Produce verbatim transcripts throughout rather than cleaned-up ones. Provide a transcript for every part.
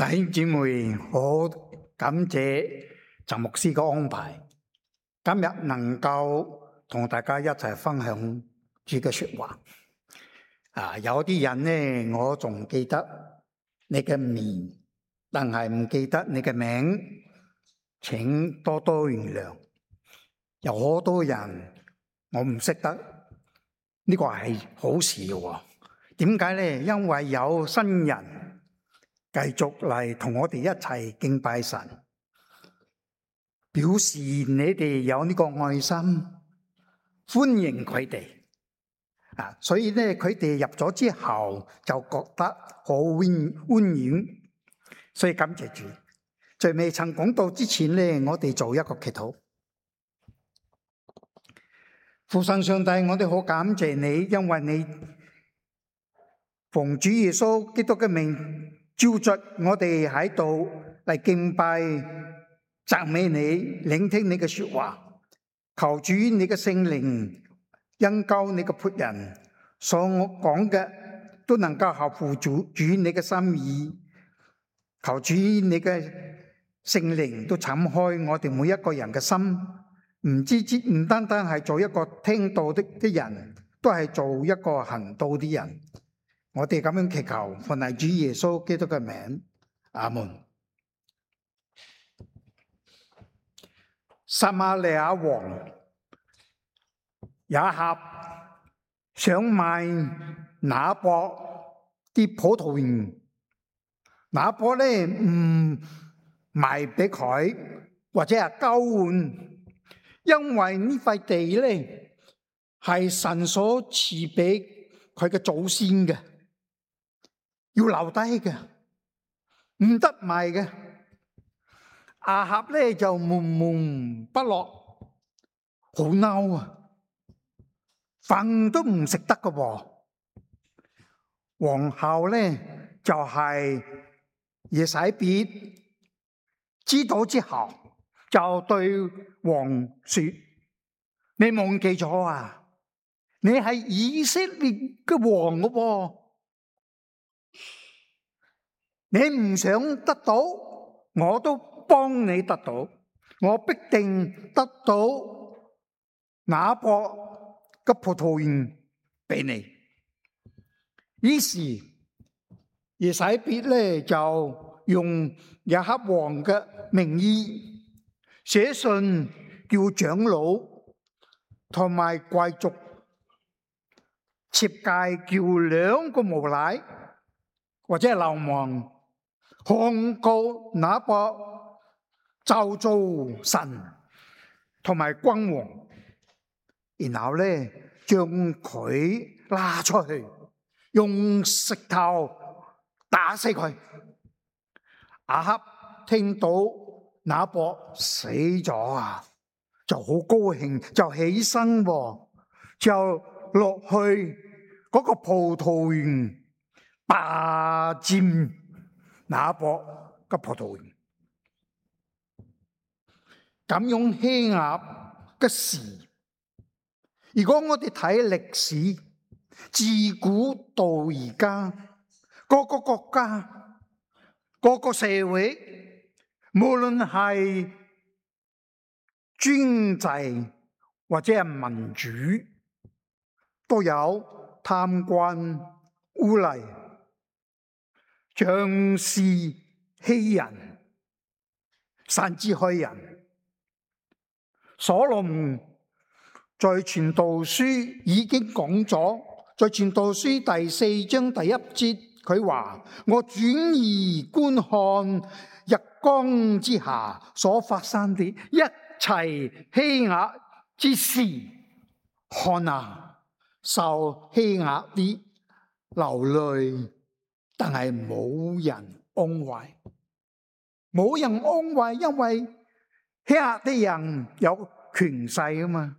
弟兄姊妹，好感謝陳牧師嘅安排，今日能夠同大家一齊分享主嘅說話。啊，有啲人呢，我仲記得你嘅面，但係唔記得你嘅名，請多多原諒。有好多人我唔識得，呢個係好事嘅。點解呢？因為有新人繼續嚟同我哋一齊敬拜神，表示你哋有呢個愛心，歡迎佢哋啊！所以咧，佢哋入咗之後就覺得好溫溫暖，所以感謝主。在未曾講到之前咧，我哋做一個祈禱。父神上帝，我哋好感謝你，因為你奉主耶穌基督嘅名，召集我哋喺度嚟敬拜、讚美你、聆聽你嘅說話。求主你嘅聖靈恩膏你嘅僕人，所講嘅都能夠合乎主主你嘅心意。求主你嘅聖靈都敞開我哋每一個人嘅心，唔知知唔單單係做一個聽道的的人，都係做一個行道的人。我哋咁樣祈求，奉係主耶穌基督嘅名，阿門。撒瑪利亞王亞哈想買拿伯啲葡萄園，拿伯咧唔賣俾佢，或者係交換，因為呢塊地咧係神所賜俾佢嘅祖先嘅。要留低嘅，唔得賣嘅。亞哈咧就悶悶不樂，好嬲啊！飯都唔食得嘅。皇后咧就係耶洗別，知道之後就對王說：你忘記咗啊？你係以色列嘅王嘅喎。你唔想得到，我都幫你得到，我必定得到拿伯嘅葡萄園俾你。於是耶洗別咧就用亞哈王嘅名義寫信叫長老同埋貴族設計，叫兩個無賴或者係流氓控告拿伯咒詛神同埋君王，然後咧將佢拉出去，用石頭打死佢。亞哈聽到拿伯死咗啊，就好高興，就起身就落去嗰個葡萄園霸佔拿伯嘅葡萄園。咁樣欺壓嘅事，如果我哋睇歷史，自古到而家，各個國家、各個社會，無論係專制或者係民主，都有貪官污吏、仗勢欺人，甚至害人。所羅門在傳道書已經講咗，在傳道書第四章第一節，佢話：我轉而觀看日光之下所發生的一切欺壓之事，看啊，受欺壓啲流淚，但係冇人安慰，冇人安慰，因為欺壓啲人有權勢啊嘛。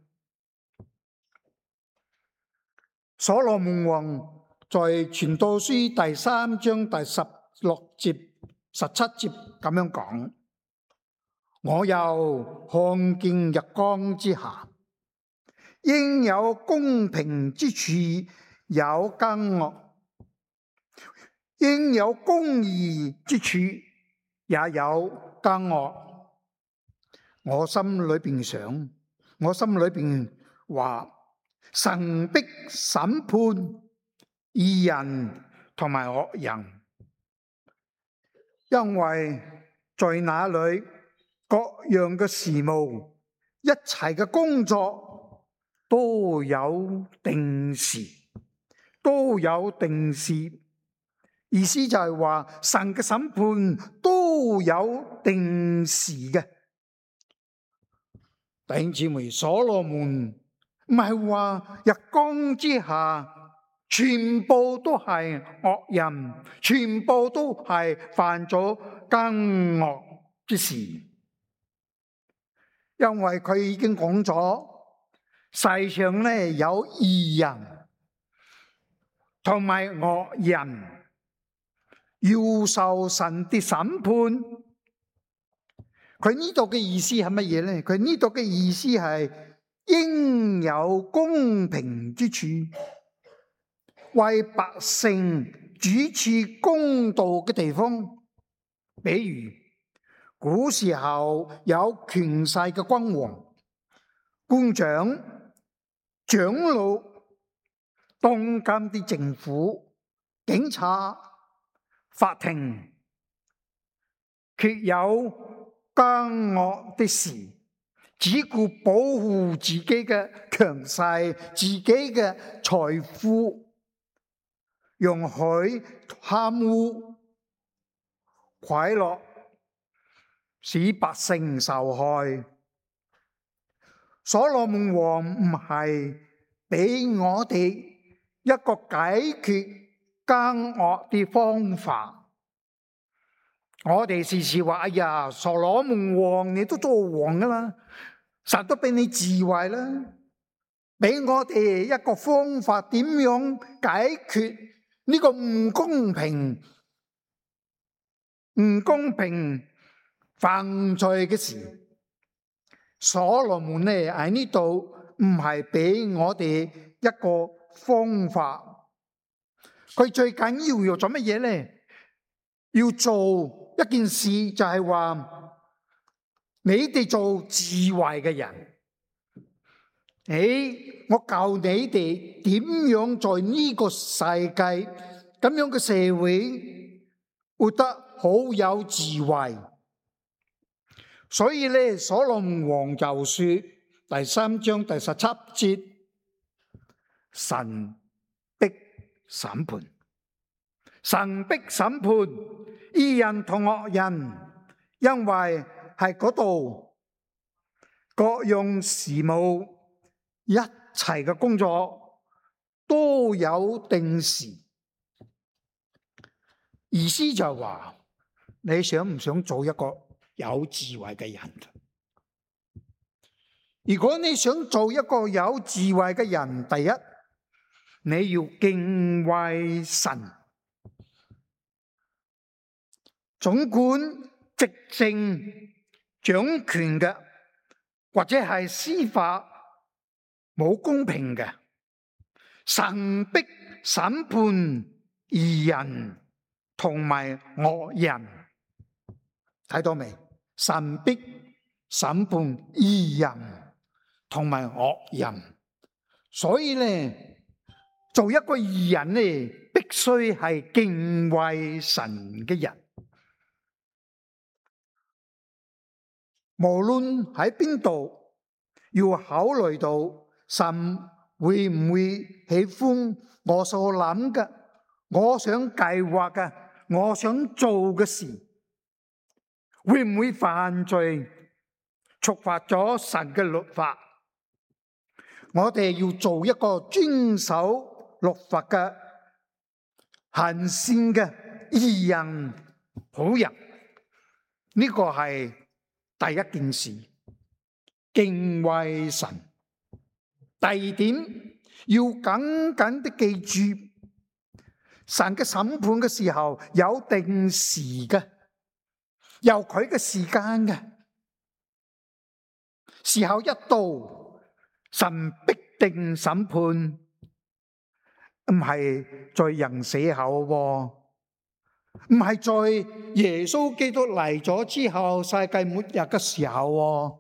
所羅門王在傳道書第三章第十六節、十七節咁樣講：我又看見日光之下，應有公平之處有奸惡，應有公義之處也有奸惡。我心裏邊想，我心裏邊話，神必審判義人同埋惡人，因為在那裏各樣嘅事務，一切嘅工作都有定時，都有定時。意思就係話，神嘅審判都有定時嘅。弟兄姊妹，所羅門唔係話日光之下全部都係惡人，全部都係犯咗奸惡之事，因為佢已經講咗，世上咧有義人同埋惡人要受神的審判。佢呢度嘅意思係乜嘢呢？佢呢度嘅意思係應有公平之處，為百姓主持公道嘅地方。比如古時候有權勢嘅君王、官長、長老、當監啲政府、警察、法庭，卻有奸惡的事，只顧保護自己嘅強勢、自己嘅財富，容許貪污、賄賂，使百姓受害。所羅門王唔係俾我哋一個解決奸惡嘅方法。我哋時時話：哎呀，所羅門王你都做王噶啦，實都俾你智慧啦，俾我哋一個方法，點樣解決呢個唔公平、唔公平犯罪嘅事。所羅門呢喺呢度唔係俾我哋一個方法，佢最緊要要做乜嘢呢？要做一件事，就係話你哋做智慧嘅人，誒，我教你哋點樣在呢個世界咁樣嘅社會活得好有智慧。所以咧，所羅門王就說第三章第十七節，神必審判。神必審判義人同惡人，因為喺嗰度各樣事務、一切嘅工作都有定時。意思就係話，你想唔想做一個有智慧嘅人？如果你想做一個有智慧嘅人，第一，你要敬畏神。總管執政掌權嘅，或者係司法冇公平嘅，神必審判義人同埋惡人。睇到未？神必審判義人同埋惡人。所以咧，做一個義人咧，必須係敬畏神嘅人。無論喺邊度，要考慮到神會唔會喜歡我所諗嘅、我想計劃嘅、我想做嘅事，會唔會犯罪，觸犯咗神嘅律法？我哋要做一個遵守律法嘅行善嘅義人、好人。呢個係第一件事，敬畏神。第二點，要緊緊的記住，神嘅審判嘅時候有定時嘅，有佢嘅時間嘅。時候一到，神必定審判，唔係在人死後。唔係在耶穌基督嚟咗之後世界末日嘅時候。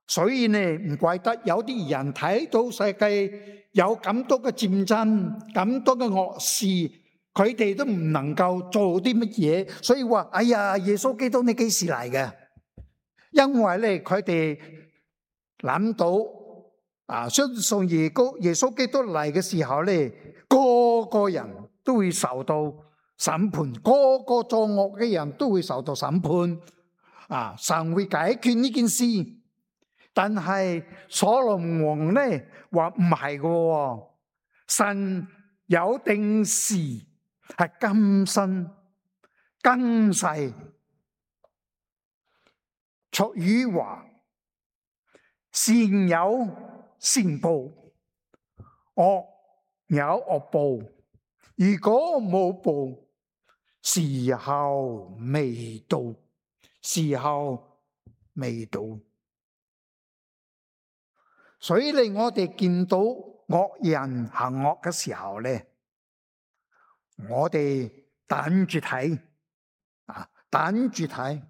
所以呢，唔怪得有啲人睇到世界有咁多嘅戰爭，咁多嘅惡事，佢哋都唔能夠做啲乜嘢，所以話：哎呀，耶穌基督你幾時嚟嘅？因為咧，佢哋諗到啊，相信耶穌耶穌基督嚟嘅時候咧，個個人都會受到審判，個個作惡嘅人都會受到審判。啊，神會解決呢件事。但係所羅門王咧話唔係嘅，神有定時係更新更世。俗語話：善有善報，惡有惡報。如果冇報，時候未到，時候未到。所以咧，我哋見到惡人行惡嘅時候咧，我哋等住睇，啊，等住睇。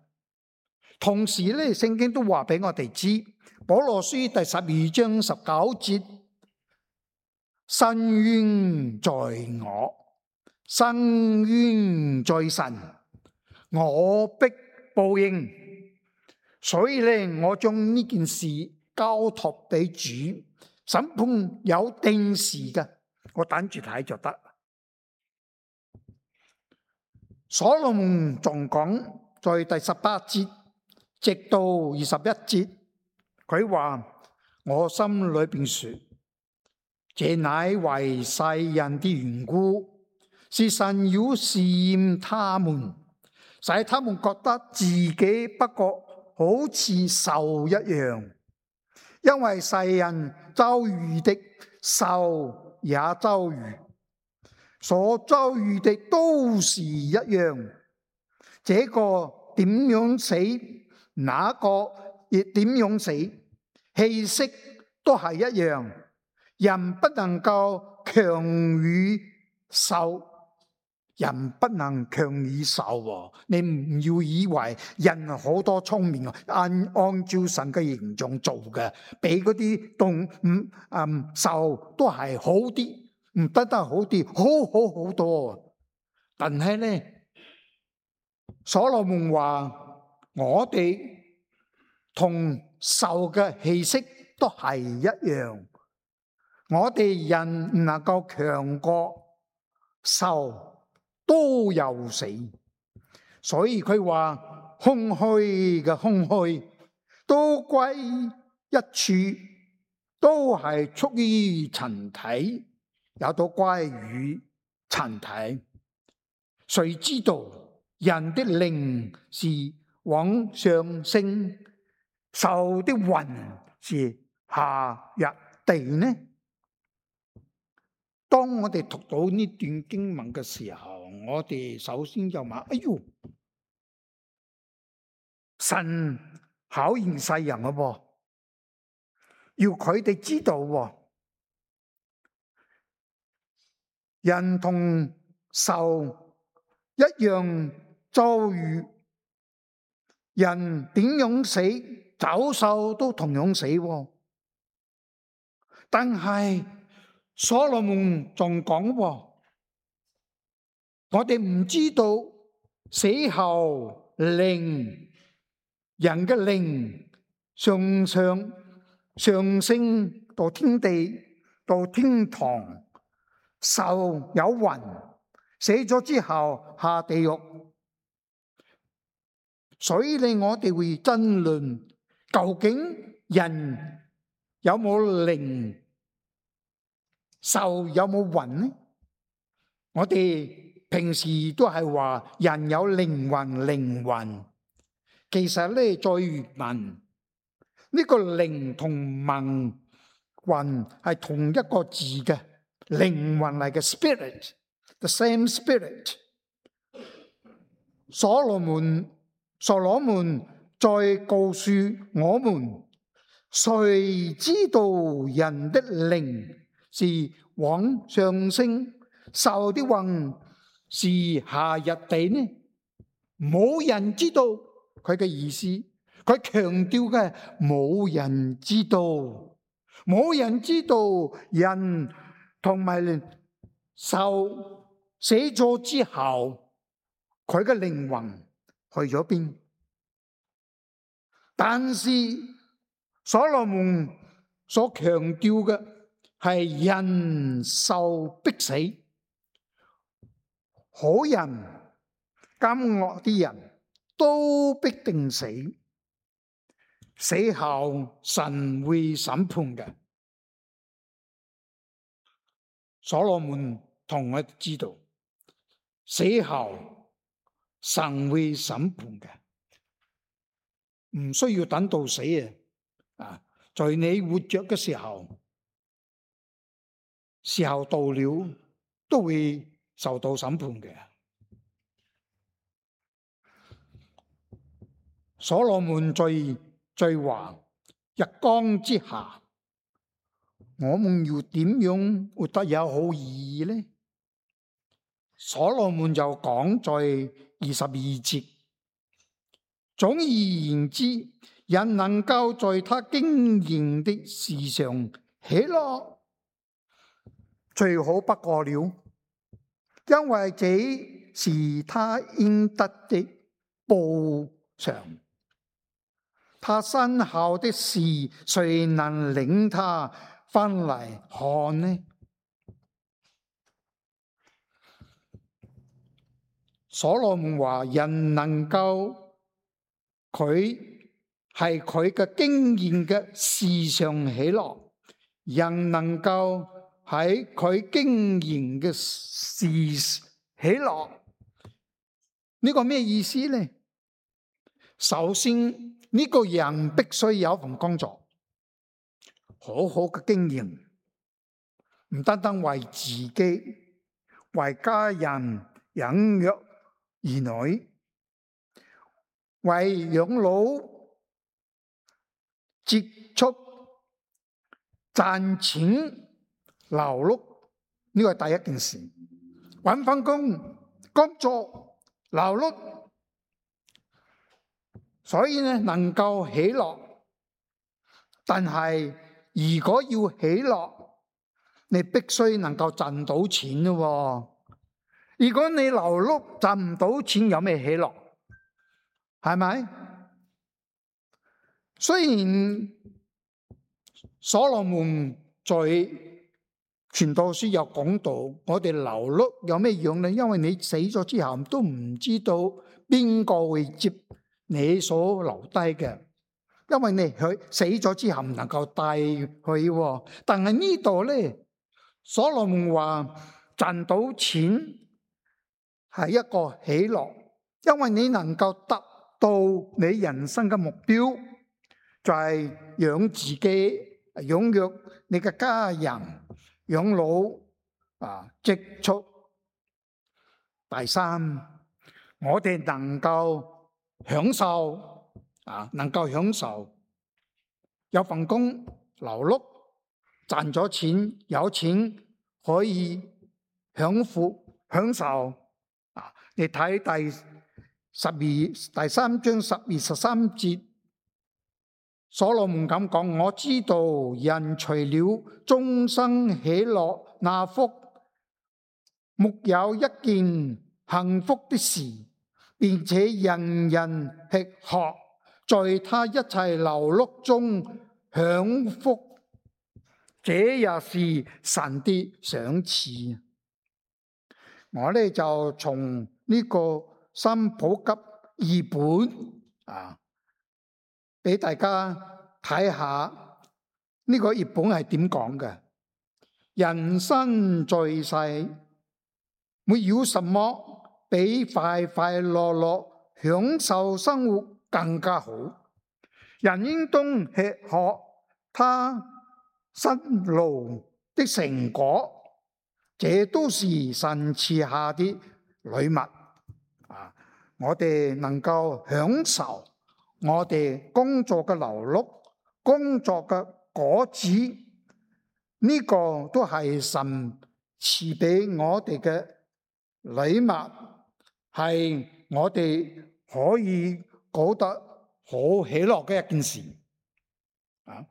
同時咧，聖經都話俾我哋知，保羅書第十二章十九節：申冤在我，申冤在神，我必報應。所以咧，我將呢件事交託俾主，審判有定時嘅，我等住睇就得。所羅門仲講，在第十八節直到二十一節，佢話：我心裏邊說，這乃為世人的緣故，是神要試驗他們，使他們覺得自己不過好似獸一樣。因為世人遭遇的，獸也遭遇，所遭遇的都是一樣。這個點樣死，那個亦點樣死，氣息都係一樣。人不能夠強於獸，人不能強於獸。你唔要以為人好多聰明，按按照神嘅形狀做嘅，比嗰啲動物嗯獸都係好啲，唔得得好啲，好好好多。但係咧，所羅門話我哋同獸嘅氣息都係一樣，我哋人唔能夠強過獸，都有死。所以佢話空虛嘅空虛都歸一處，都係出於塵體，也都歸於塵體。誰知道人的靈是往上升，獸的魂是下入地呢？當我哋讀到呢段經文嘅時候，我哋首先就問：哎喲，神考驗世人嘅噃，要佢哋知道，人同獸一樣遭遇，人點樣死，走獸都同樣死。但係所羅門仲講，我哋唔知道死後靈，人嘅靈上上上升到天地，到天堂，獸有魂，死咗之後下地獄。所以咧，我哋會爭論究竟人有冇靈，獸有冇魂呢？我哋平時都係話人有靈魂，靈魂其實咧，在原文呢個靈同文魂係同一個字嘅，靈魂嚟嘅 spirit，the same spirit。所羅門所羅門再告訴我們，誰知道人的靈是往上升，獸的魂是夏日地呢？冇人知道佢嘅意思。佢強調嘅冇人知道，冇人知道人同埋獸死咗之後，佢嘅靈魂去咗邊？但是所羅門所強調嘅係人受逼死，好人奸惡啲人都必定死，死後神會審判嘅。所羅門同我知道，死後神會審判嘅，唔需要等到死啊！啊，在你活着嘅時候，時候到了都會受到審判嘅。所羅門最最話日光之下，我們要點樣活得有好意義呢？所羅門就講在二十二節，總而言之，人能夠在他經營的事上喜樂，最好不過了，因為這是他應得的報償。他身後的事，誰能領他翻嚟看呢？所羅門話：人能夠佢係佢嘅經驗嘅事上喜樂，人能夠喺佢經驗嘅事喜樂，呢個咩意思呢？首先，呢個人必須有份工作，好好嘅經驗，唔單單為自己，為家人養育兒女，為養老積蓄賺錢勞碌，呢個係第一件事。搵份工工作勞碌。所以呢，能夠喜樂，但係如果要喜樂，你必須能夠賺到錢咯。如果你勞碌賺唔到錢，有咩喜樂？係咪？雖然所羅門在傳道書有講到，我哋勞碌有咩用呢？因為你死咗之後都唔知道邊個會接你所留低嘅，因為你佢死咗之後唔能夠帶去。但係呢度咧，所羅門話賺到錢係一個喜樂，因為你能夠達到你人生嘅目標，就係養自己、養育你嘅家人、養老啊、積蓄。第三，我哋能夠享受啊，能夠享受有份工勞碌賺咗錢，有錢可以享福享受啊！你睇第十二第三章十二十三節，所羅門咁講：我知道人除了終生喜樂那福，沒有一件幸福的事。並且人人吃喝，在他一切勞碌中享福，這也是神的賞賜。我呢就從呢個新普及譯本啊，俾大家睇下呢個譯本係點講嘅。人生在世，沒有什麼比快快樂樂享受生活更加好。人應當吃喝他辛勞的成果，這都是神賜下的禮物。啊，我哋能夠享受我哋工作嘅勞碌、工作嘅果子，呢個都係神賜俾我哋嘅禮物係我哋可以覺得好喜樂嘅一件事啊！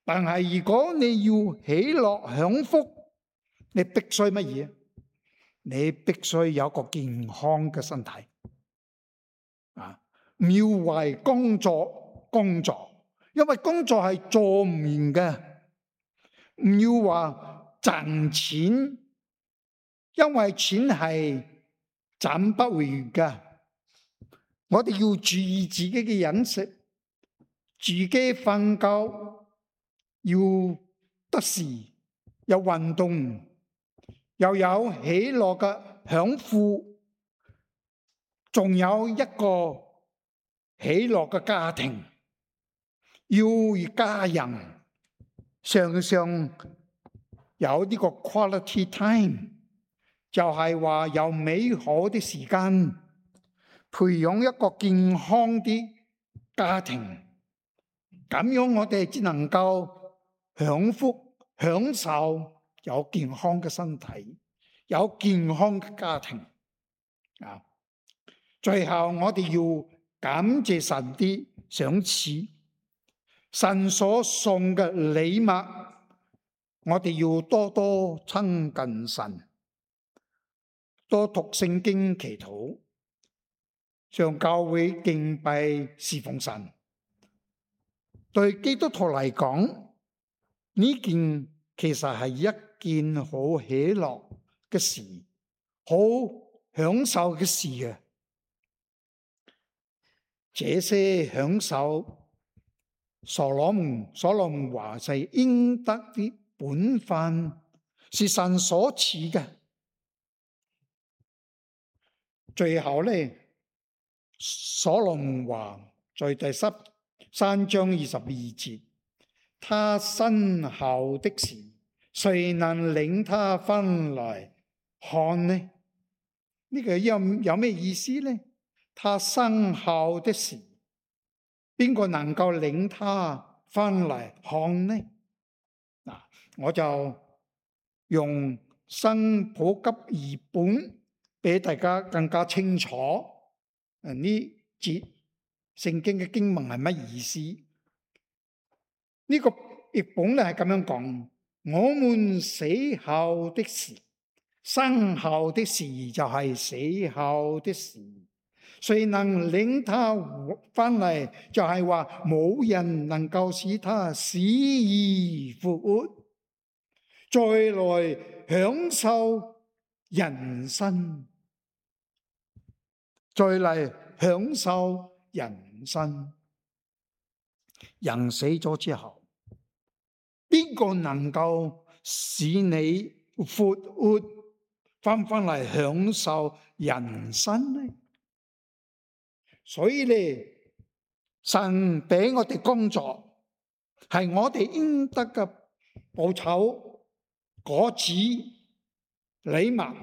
但係如果你要喜樂享福，你必須乜嘢？你必須有個健康嘅身體啊！唔要為工作工作，因為工作係做唔完嘅。唔要話賺錢，因為錢係賺不回嘅。我哋要注意自己嘅飲食，自己瞓覺要得時，有運動，又有喜樂嘅享福，仲有一個喜樂嘅家庭，要與家人常常有呢個 quality time， 就係話有美好的時間，培養一個健康啲家庭，咁樣我哋只能夠享福享受有健康嘅身體，有健康嘅家庭啊！最後我哋要感謝神啲賞賜，神所送嘅禮物，我哋要多多親近神，多讀聖經祈禱，上教會敬拜侍奉神。對基督徒嚟講，呢件其實係一件好喜樂嘅事，好享受嘅事嘅。這些享受，所羅門所羅門話係應得的本分，是神所賜嘅。最後咧，所羅門話在第十三章二十二節，他身後的事，誰能領他翻來看呢？呢、這個有有咩意思呢？他身後的事，邊個能夠領他翻嚟看呢？嗱，我就用新普及譯本俾大家更加清楚。誒，呢節聖經嘅經文係乜意思？呢、這個譯本咧係咁樣講：我們死後的事，身後的事就係死後的事。誰能領他翻嚟？就係話冇人能夠使他死而復活，再來享受人生，再嚟享受人生。人死咗之後，邊個能夠使你復活翻翻嚟享受人生呢？所以咧，神俾我哋工作，係我哋應得嘅報酬、果子、禮物。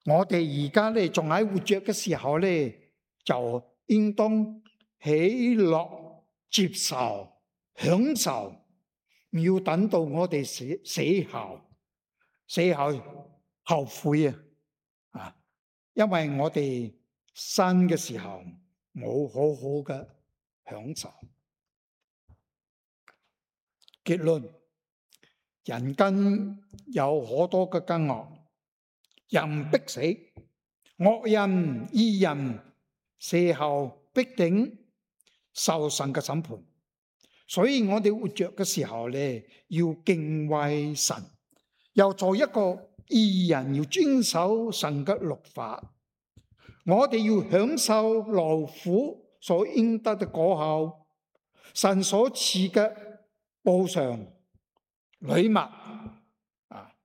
我哋而家咧仲喺活着嘅時候咧，就應當喜樂、接受、享受，唔要等到我哋死死後，死後後悔啊！啊，因為我哋生嘅時候冇好好嘅享受。結論：人間有好多嘅奸惡，人必死，惡人義人死後必定受神嘅審判。所以我哋活着嘅時候咧，要敬畏神，又做一個義人，要遵守神嘅律法。我哋要享受勞苦所應得嘅果效，神所賜嘅報償禮物啊！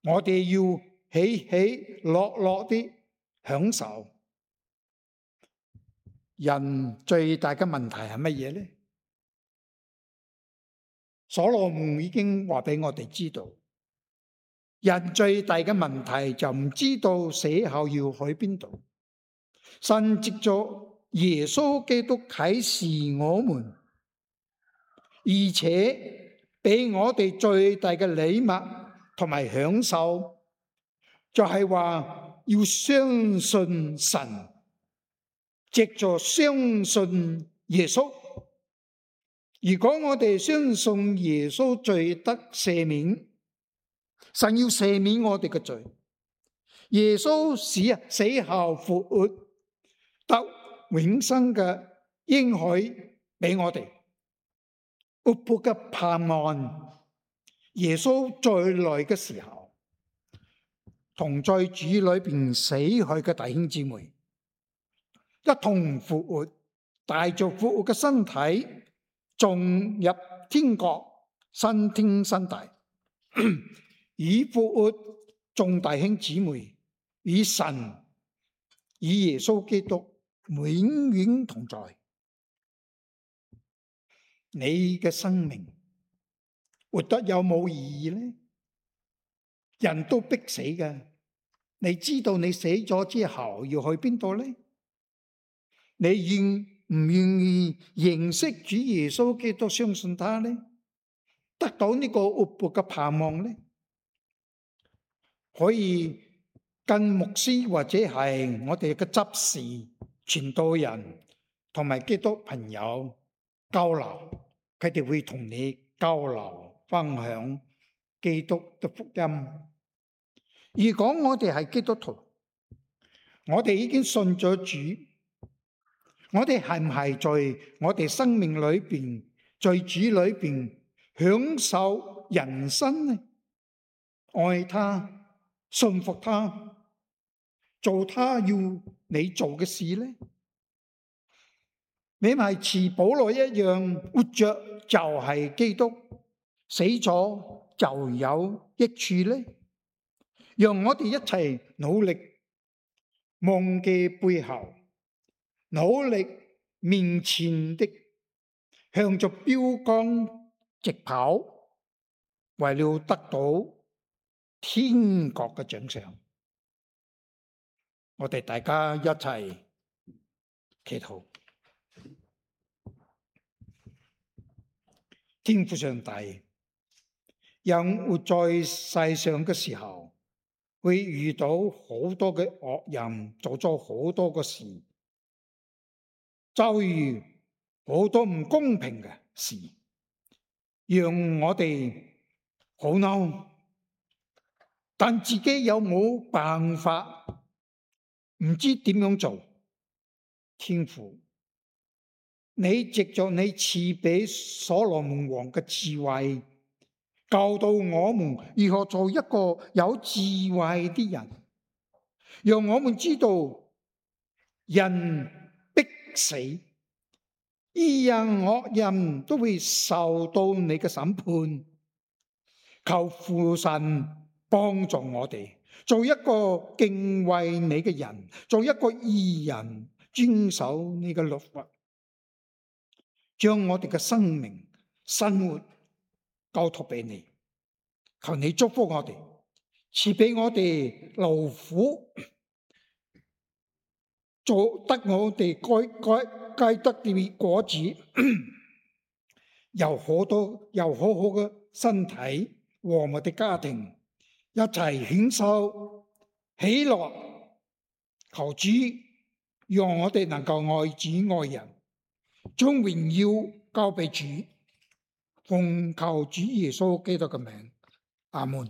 我哋要喜喜樂樂啲享受。人最大嘅問題係乜嘢呢？所羅門已經話俾我哋知道，人最大嘅問題就唔知道死後要去邊度。神藉著耶穌基督啟示我們，而且俾我哋最大嘅禮物同埋享受，就係話要相信神，藉着相信耶穌。如果我哋相信耶穌罪得赦免，神要赦免我哋嘅罪，耶穌死死後復活，得永生嘅應許俾我哋，活潑嘅盼望。耶穌再來嘅時候，同在主裏邊死去嘅弟兄姊妹一同復活，帶着復活嘅身體進入天國，新天新地，以復活眾弟兄姊妹與神與耶穌基督永遠同在。你嘅生命活得有冇意義呢？人都逼死嘅，你知道你死咗之後要去邊度呢？你願唔願意認識主耶穌基督，相信他呢？得到呢個活潑嘅盼望呢？可以跟牧師或者係我哋嘅執事、傳道人同埋基督朋友交流，佢哋會同你交流分享基督嘅福音。如果我哋係基督徒，我哋已經信咗主，我哋係唔係在我哋生命裏邊，在主裏邊享受人生呢？愛他，信服他，做他要你做嘅事呢？你咪似保羅一樣，活着就係基督，死咗就有益處呢？讓我哋一齊努力，忘記背後，努力面前的，向着標杆直跑，為了得到天國嘅獎賞。我哋大家一齊祈禱。天父上帝，人活在世上嘅時候，會遇到好多嘅惡人，做咗好多嘅事，遭遇好多唔公平嘅事，讓我哋好嬲，但自己有冇辦法，唔知點樣做。天父，你藉着你賜俾所羅門王嘅智慧，教導我們如何做一個有智慧的人，讓我們知道人必死，義人惡人都會受到你嘅審判。求父神幫助我哋，做一個敬畏你嘅人，做一個義人，遵守你嘅律法，將我哋嘅生命生活交託俾你。求你祝福我哋，賜俾我哋勞苦，做得我哋該該該得嘅果子，有好多有好好嘅身體和我哋家庭一齊享受喜樂。求主讓我哋能夠愛主愛人，將榮耀交俾主，奉求主耶穌基督嘅名，阿門。